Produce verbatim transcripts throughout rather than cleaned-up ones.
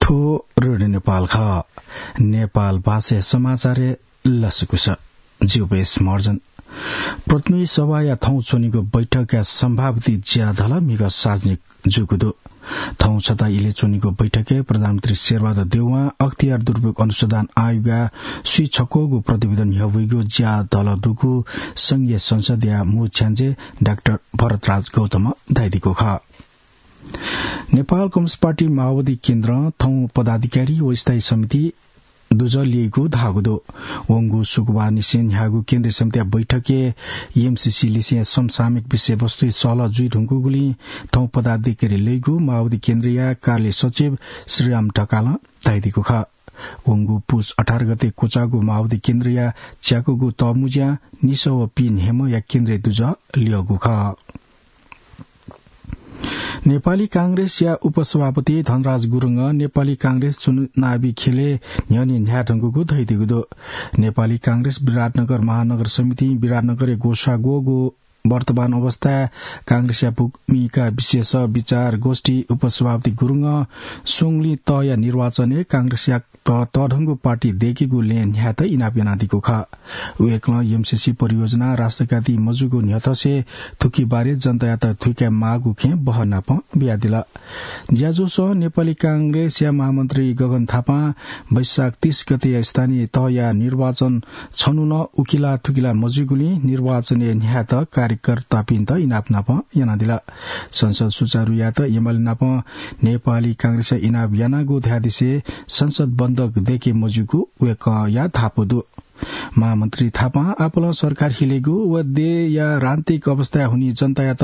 थ्व रेडियो नेपाल खः। नेपाल भाषाया समाचारय् लसकुस। ज्यू बेस महर्जन। प्रतिनिधि सभाया थौं च्वनीगु बैठकया सम्भावित ज्याधल म्हिगः सार्वजनिक जूगु दु। थौं छता इलय् च्वनीगु बैठकय् प्रधानमन्त्री शेरबहादुर देउवां अख्तियार दुरुपयोग अनुसन्धान आयोगया स्वीछक्वःगु प्रतिवेदन न्ह्यब्वइगु ज्याधल दुगु संघीय संसदया मू छ्याञ्जे डाक्टर भरतराज गौतमं धयादीगु खः। नेपाल कम्युनिस्ट पार्टी माओवादी केन्द्रं थौं पदाधिकारी व स्थायी समिति दुजः ल्यइगु धाःगु दु। वंगु शुक्रबार निसें न्ह्याःगु केन्द्रीय समितिया बैठकय् एमसीसी लिसें समसामयिक विषयवस्तुइ सहलह जुइ धुंकूगुलिं थौं पदाधिकारी ल्यइगु माओवादी केन्द्रया कार्यालय सचिव श्रीराम ढकालं धयादीगु खः। वंगु पुस अठार गते क्वचाःगु माओवादी केन्द्रया च्याकूगु तःमुँज्यां निसः व पीन्हय्म्हया केन्द्रीय दुजः ल्यःगु खः। नेपाली कांग्रेसया उपसभापति धनराज गुरुङं नेपाली कांग्रेस चुनावी खेलय् न्ह्यःने न्ह्याये धुंकूगु धयादीगु दु। नेपाली कांग्रेस विराटनगर महानगर समितिं विराटनगरय् ग्वसाः ग्वःगु वर्तमान अवस्थाय् कांग्रेसया भूमिका विषयस विचार गोष्ठी उपसभापति गुरुङं स्वंगुलिं तःया निर्वाचनय् कांग्रेसया त-, तःधंगु पार्टी दय्केगु लँय् न्ह्यायेत इनाप यानादीगु खः। वय्कलं एमसीसी परियोजना राष्ट्रघाती मजूगु न्ह्यथंसे थुकिबारे जनतायात थुइकाये माःगु खँय् बहः नापं बियादिल। ज्याझ्वलय् नेपाली कांग्रेसया महामन्त्री गगन थापां वैशाख तीस गतेया स्थानीय तहया निर्वाचन छन्हु नं उकिला थुकिला मजुइगुलिं निर्वाचनय् न्ह्यायेत कार्यकर्तापिन्त इनाप नापं यानादिल। संसद सुचारु यायेत एमाले नाप नेपाली कांग्रेसं इनाप यानागु धयादिसे संसद बन्दक दय्के मज्यूगु वय्कःया धापू दु। महामन्त्री थापां आपालं सरकार हिलेगु व देय्या राजनीतिक अवस्थाय् हुनिं जनतायात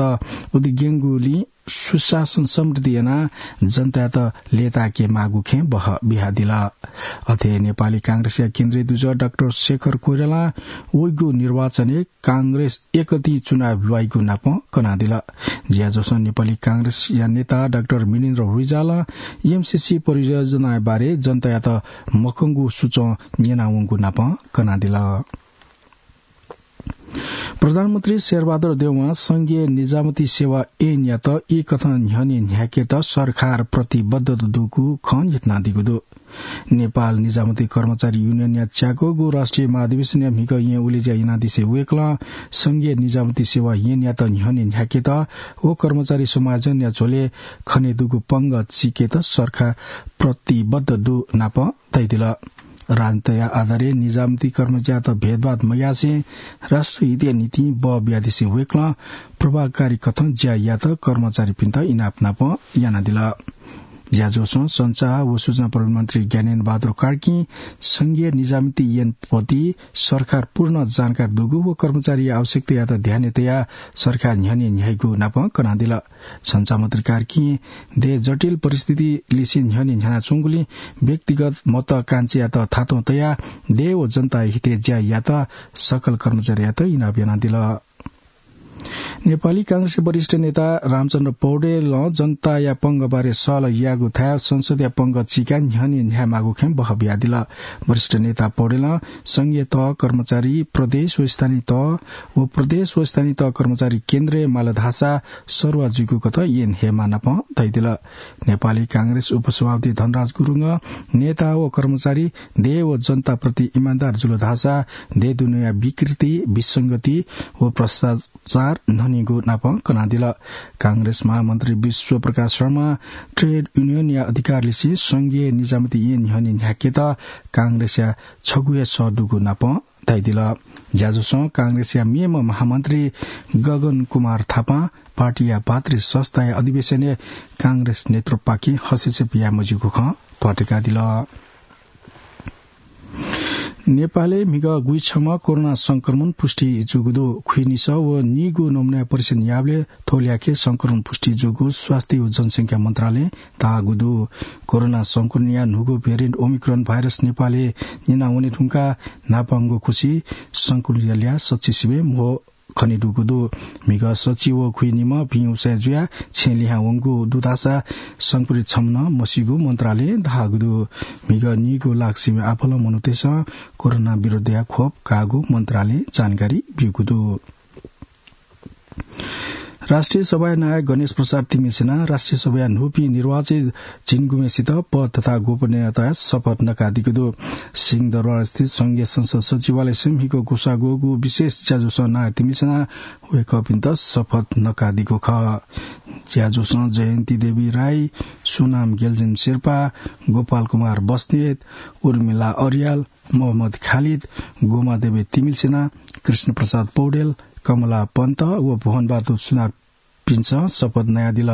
उद्यंगुलिं सुशासन समृद्धि यानाः जनतायात लय्ताय्के माःगु खँय् बहः बियादिल। अथे नेपाली कांग्रेसया केन्द्रीय दुजः डाक्टर शेखर कोइरालां वइगु निर्वाचनय् कांग्रेस एकति चुनाव ल्वाइगु नापं कनादिल। ज्याझ्वलय् नेपाली कांग्रेसया नेता डाक्टर मिनेन्द्र रिजालं एमसीसी परियोजनाया बारे जनतायात मखंगु सुचं न्यनावंगु नापं कनादिल। प्रधानमन्त्री शेरबहादुर देउवां संघीय निजामती सेवा ऐनयात ई कथं न्ह्यःने न्ह्याकेत सरकार प्रतिबद्ध दुगु खँ न्ह्यथनादीगु दु। नेपाल निजामती कर्मचारी युनियनया च्याकूगु राष्ट्रिय महाधिवेशनया म्हिगः येँ उलेज्या यानादिसे वय्कलं संघीय निजामती सेवा ऐनयात न्ह्यःने न्ह्याकेत व कर्मचारी समायोजनया झ्वलय् खनेदुगु पंगः चीकेत सरकार प्रतिबद्ध दु नापं धयादिल। राजनीतिया आधारय् निजामती कर्मचारीयात भेदभाद मयासें राष्ट्रहितया निंतिं बः बियादिसे वय्कलं प्रभावकारी कथं ज्या यायेत कर्मचारीपिन्त इनाप नापं यानादिल। ज्याझ्वलय् सञ्चार व सूचना प्रविधि मन्त्री ज्ञानेन्द्र बहादुर कार्कीं संघीय निजामती ऐनप्रति सरकार पूर्ण जानकारी दुगु व कर्मचारीया आवश्यकतायात ध्यानय् तयाः सरकार न्ह्यःने न्ह्याइगु नापं कनादिल। सञ्चार मन्त्री कार्कीं देय् जटिल परिस्थिति लिसें न्ह्यःने न्ह्यानाच्वंगुलिं व्यक्तिगत महत्वाकांक्षायात थातं तयाः देय् व जनताया हितय् ज्या यायेत सकल कर्मचारीयात इनाप यानादिल। नेपाली कांग्रेसया वरिष्ठ नेता रामचन्द्र पौडेलं जनताया पंगः बारे सहलह यायेगु थाय् संसदया पंगः चीकाः न्ह्यःने न्ह्यायेमाःगु खँय् बहः बियादिल। वरिष्ठ नेता पौडेलं संघीय तह कर्मचारी प्रदेश व स्थानीय तह व प्रदेश व स्थानीय तह कर्मचारी केन्द्रय् माल धाःसा सरुवा जुइगु कथं ऐन हयेमाः नापं धयादिल। नेपाली कांग्रेस उपसभापति धनराज गुरुङं नेता व कर्मचारी देय् व जनताप्रति इमानदार जुल धाःसा देय् दुनेया विकृति, विसंगति व भ्रष्टाचार न्ह्यःनेगु नापं कनादिल। कांग्रेस महामन्त्री विश्वप्रकाश शर्मां ट्रेड युनियनया अधिकार लिसें संघीय निजामती ऐन न्ह्यःने न्ह्याकेत कांग्रेसया छगू हे सः दुगु नापं धयादिल। ज्याझ्वलय् कांग्रेसया मेम्ह महामन्त्री गगन कुमार थापां पार्टीया भातृ संस्थाया अधिवेशनय् कांग्रेस नेतृत्वपाखें हस्तक्षेप याये मज्यूगु खँ त्वाःतकादिल। नेपालय् म्हिगः गुइछम्ह कोरोना संक्रमण पुष्टि जूगु दु। खुइनिसः व नीगू नमुनाया परीक्षण याःबलय् थ्व ल्याखय् संक्रमण पुष्टि जूगु स्वास्थ्य व जनसंख्या मन्त्रालयं धाःगु दु। कोरोना संक्रमणया न्हूगू भेरिएन्ट ओमिक्रोन भाइरस नेपालय् न्यना वने धुंकाः न्हापांगु खुसि संक्रमितया ल्याः सच्चिस सय् म्हो खनेदुगु दु। म्हिगः सच्छि व खुइनिम्ह भिं उसाँय् जुयाः छेँ लिहां वंगु दु धाःसा संक्रमित छम्ह नं मसीगु मन्त्रालयं धाःगु दु। म्हिगः नीगू लाख सिबें आपालं मनूतय्सं कोरोना विरुद्धया खोप काःगु मन्त्रालयं जानकारी ब्यूगु दु। राष्ट्रिय सभाया नायः गणेश प्रसाद तिमिल्सिनां राष्ट्रिय सभाया न्हूपिं निर्वाचित झिंगुम्हेसित पद तथा गोपनीयताया शपथ नकादीगु दु। सिंहदरबार स्थित संघीय संसद सचिवालयसं म्हिगः ग्वसाः ग्वःगु विशेष ज्याझ्वलय् नायः तिमिल्सिनां वय्कःपिन्त शपथ नकादीगु खः। ज्याझ्वलय् जयन्ती देवी राई, सोनाम गेलजेन शेर्पा, गोपाल कुमार बस्नेत, उर्मिला अर्याल, मोहम्मद खालिद, गोमा देवी तिमिल्सिना, कृष्ण प्रसाद पौडेल, कमला पन्त व भुवन बहादुर सुनारपिन्सं शपथ नयादिल।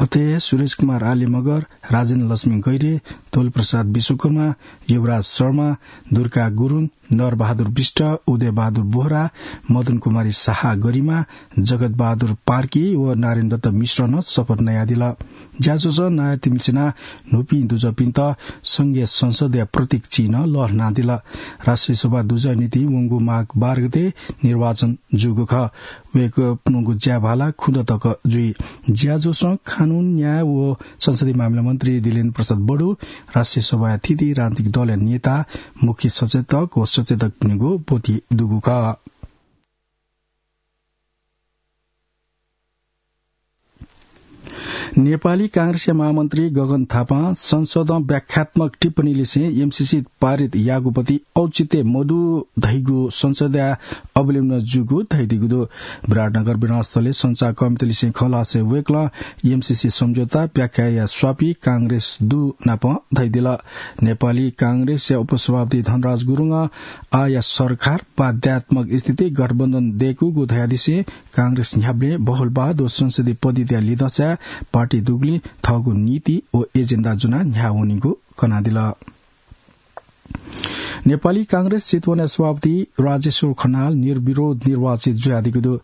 अथे सुरेश कुमार आले मगर, राजेन्द्र लक्ष्मी गैरे, तोल प्रसाद विश्वकर्मा, युवराज शर्मा, दुर्गा गुरुङ, नर बहादुर विष्ट, उदय बहादुर बोहरा, मदन कुमारी शाह गरिमा, जगत बहादुर पार्की व नारायण दत्त मिश्रं नं शपथ नयादिल। ज्याझ्वलय् नायः तिमिल्सिनां न्हूपिं दुजःपिन्त संघीय संसदया प्रतीक चिन्ह लःल्हानादिल। राष्ट्रिय सभा दुजःया निंतिं वंगु माघ बाह्र गते निर्वाचन जूगु खः। वय्कःपिनिगु ज्याभाला खुन्हु तक जुइ। ज्याझ्वलय् कानून, न्याय व संसदीय मामिला मन्त्री दिलेन्द्र प्रसाद बडु, राष्ट्रिय सभाया थीथी राजनीतिक दलया नेता, मुख्य सचेतक व सचेतकपिनिगु ब्वति दुगु खः। नेपाली कांग्रेसया महामन्त्री गगन थापां संसदं व्याख्यात्मक टिप्पणी लिसें एमसीसी पारित याःगु प्रति औचित्य मदु धइगु संसदया अवलोकनं जूगु धयादीगु दु। विराटनगर विधानस्थलय् सञ्चारकर्मीत लिसें खँ ल्हासें वय्कलं एमसीसी सम्झौता व्याख्या याये स्वापी कांग्रेस दु नापं धयादिल। नेपाली कांग्रेसया उपसभापति धनराज गुरुङं आःया सरकार बाध्यात्मक स्थिति गठबन्धन दय्कूगु धयादिसें कांग्रेस न्ह्याबलें बहुलवाद व संसदीय पद्धतिया लिधंसाय् पार्टी दुगुलिं थःगु नीति व एजेन्डा ज्वनाः न्ह्याः वनीगु कनादिल। नेपाली कांग्रेस चितवनया सभापति राजेश्वर खनाल निर्विरोध निर्वाचित जुयादीगु दु।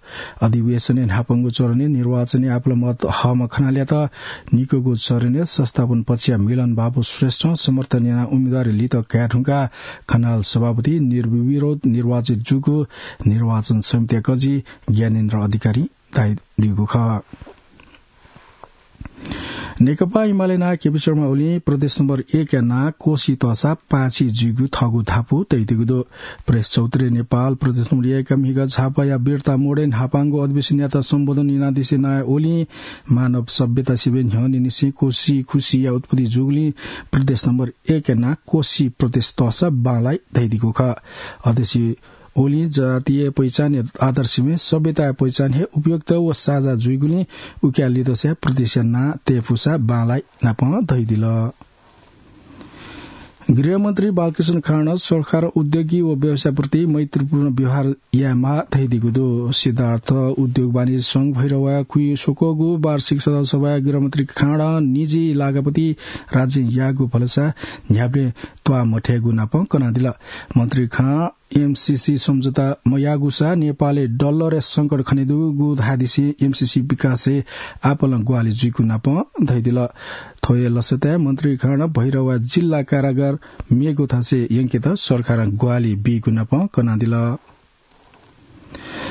अधिवेशनय् न्हापांगु चरणय् निर्वाचनय् आपालं मत हःम्ह खनालयात निक्वःगु चरणय् संस्थापन पक्षया मिलन बाबु श्रेष्ठं समर्थन यानाः उम्मेदवारी लित काये धुंकाः खनाल सभापति निर्विरोध निर्वाचित जूगु निर्वाचन समितिया कजि ज्ञानेन्द्र अधिकारी धयादीगु खः। नेकपा एमाले नायः केपी शर्मा ओलीं प्रदेश नम्बर एक या नां कोशी तःसा पाय्छि जुइगु थःगु धापू तयादीगु दु। प्रेस चौधरी नेपाल प्रदेश नम्बर एक या म्हिगः झापाया बिर्ता मोडय् न्हापांगु अधिवेशनयात सम्बोधन यानादिसें नायः ओलीं मानव सभ्यता सिबें न्ह्यःने निसें कोशी खुसिया उत्पत्ति जूगुलिं प्रदेश नम्बर एक या नां कोशी प्रदेश तःसा बांलाइ धयादीगु खः। अध्यक्ष ओलीं जातीय पहिचानया आधार सिबें सभ्यताया पहिचान हे उपयुक्त व साझा जुइगुलिं उकिया लिधंसाय् प्रदेशया नां तये फुसा बांलाइ नापं धयादिल। गृहमन्त्री बालकृष्ण खाँडं सरकारं उद्योगी व व्यवसायप्रति मैत्रीपूर्ण व्यवहार यायेमाः धयादीगु दु। सिद्धार्थ उद्योग वाणिज्य संघ भैरवाया खुइस्वक्वःगु वार्षिक साधारण सभाय् गृहमन्त्री खाँडं निजी लागाप्रति राज्यं याःगु भलसा न्ह्याबलें त्वाः मथयेगु नापं कनादिल। मन्त्री खाँडं एमसीसी सम्झौता मयाःगुसा नेपालय् डलरया संकट खनेदुगु धयादिसें एमसीसी विकासय् आपालं ग्वाहालि जुइगु नापं धयादिल। थ्व हे लसताय् मन्त्री खाँडं भैरवा जिल्ला कारागार मेगु थासय् यंकेत सरकारं ग्वाहालि बीगु नापं कनादिल।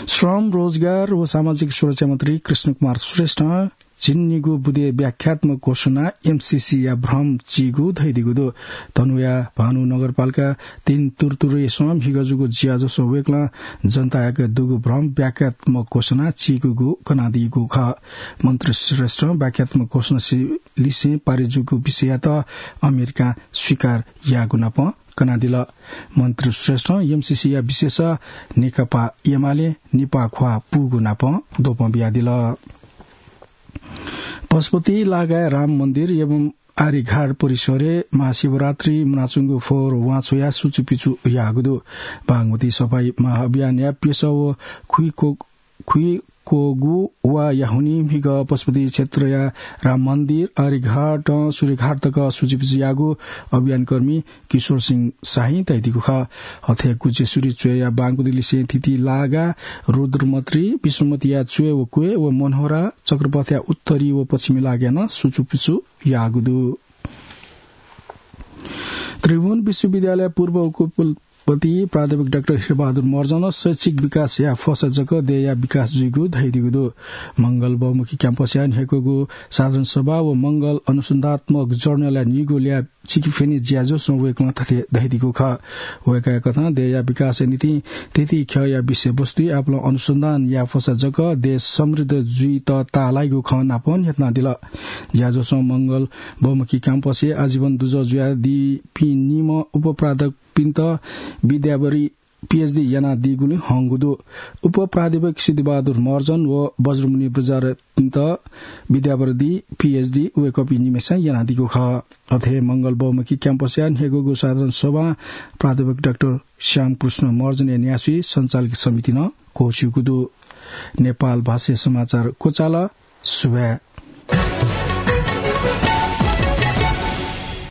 श्रम, रोजगार व सामाजिक सुरक्षा मन्त्री कृष्ण कुमार श्रेष्ठं झिंनिगू बुँदे व्याख्यात्मक घोषणा एमसीसीया भ्रम चीगु धयादीगु दु। धनुया भानु नगरपालिका तीन तुर्तुरेसं म्हिगः जूगु ज्याझ्वलय् वय्कलं जनतायाके दुगु भ्रम व्याख्यात्मक घोषणा चीगु कनादीगु खः। मन्त्री श्रेष्ठं व्याख्यात्मक घोषणा सि-, लिसें पारित जूगु विषययात अमेरिकां स्वीकार याःगु नापं कनादिल। मन्त्री श्रेष्ठं एमसीसीया विशेष नेकपा एमाले नेपाः ख्वाः पूगु नापं द्वपं बियादिल। पशुपति लागाय् राम मन्दिर एवं आर्यघाट परिसरय् महाशिवरात्रि मुनाच्वंगु फोहोर वांछ्वयाः सुचुपिचु याःगु दु। बागमती सफाई महाअभियानया प्यसः व खुइको खुइक्वःगु वा याहुनी म्हिगः पशुपति क्षेत्रया राम मन्दिर, आर्यघाटं सूर्यघाट तक सुचुपिचु याःगु अभियानकर्मी किशोर सिंह शाहीं धयादीगु खः। अथे गुज्जेसुरी च्वय्‌या बांगुदि लिसें थीथी लागा, रुद्रमत्री, विष्णुमतीया च्वय् व क्वय् व मनोहरा चक्रपथया उत्तरी व पश्चिमी लागाय् नं सुचुपिचु याःगु दु। त्रिभुवन विश्वविद्यालय पूर्व उपकुलपति प्राध्यापक डाक्टर हिरबहादुर महर्जनं शैक्षिक विकासया फसा जक देय्‌या विकास जुइगु धयादीगु दु। मंगल बहुमुखी क्याम्पसया न्ह्याक्वःगु साधारण सभा व मंगल अनुसन्धात्मक जर्नलया नीगू ल्याः सिकेफेनी ज्याझ्वलय् वय्कलं थथे धयादीगु खः। वय्कःया कथं देय्या विकासया निंतिं थीथी ख्यःया विषयवस्तुइ आपालं अनुसन्धान याःफसा जक देय् समृद्ध जुइत ताःलाइगु खँ नापं न्ह्यथनादिल। ज्याझ्वलं मंगल बहुमुखी क्याम्पसय् आजीवन दुजः जुयादीपिं निम्ह उपप्राध्यापकपिन्त विद्यावरी पीएचडी यानादीगुलिं हंगु दु। उपप्राध्यापक सिद्धिबहादुर महर्जन व बज्रमुनि बज्राचार्यपिन्त विद्यावरी पीएचडी वय्कःपिं निम्हय्सिनं यानादीगु खः। अथे हे मंगल बहुमुखी क्याम्पसया न्हय्गूगु साधारण सभां प्राध्यापक डाक्टर श्यामकृष्ण महर्जनया न्यासि सञ्चालक समितिं नं क्वःछिउगु दु। नेपाल भाषाया समाचार क्वचाल। सुभाय्।